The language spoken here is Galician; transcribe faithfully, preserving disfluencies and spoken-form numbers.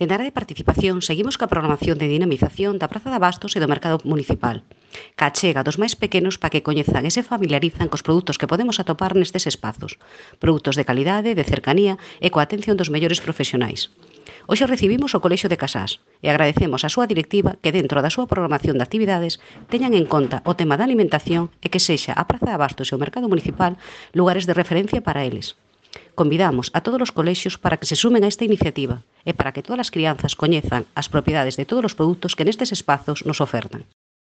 Dende a área de participación, seguimos coa programación de dinamización da Praza de Abastos e do Mercado Municipal, ca achega dos máis pequenos para que coñezan e se familiarizan cos produtos que podemos atopar nestes espazos, produtos de calidade, de cercanía e coa atención dos mellores profesionais. Hoxe recibimos o Colexio de Casás e agradecemos á súa directiva que dentro da súa programación de actividades teñan en conta o tema da alimentación e que sexa a Praza de Abastos e o Mercado Municipal lugares de referencia para eles. Convidamos a todos os colexios para que se sumen a esta iniciativa e para que todas as crianzas coñezan as propiedades de todos os produtos que nestes espazos nos ofertan.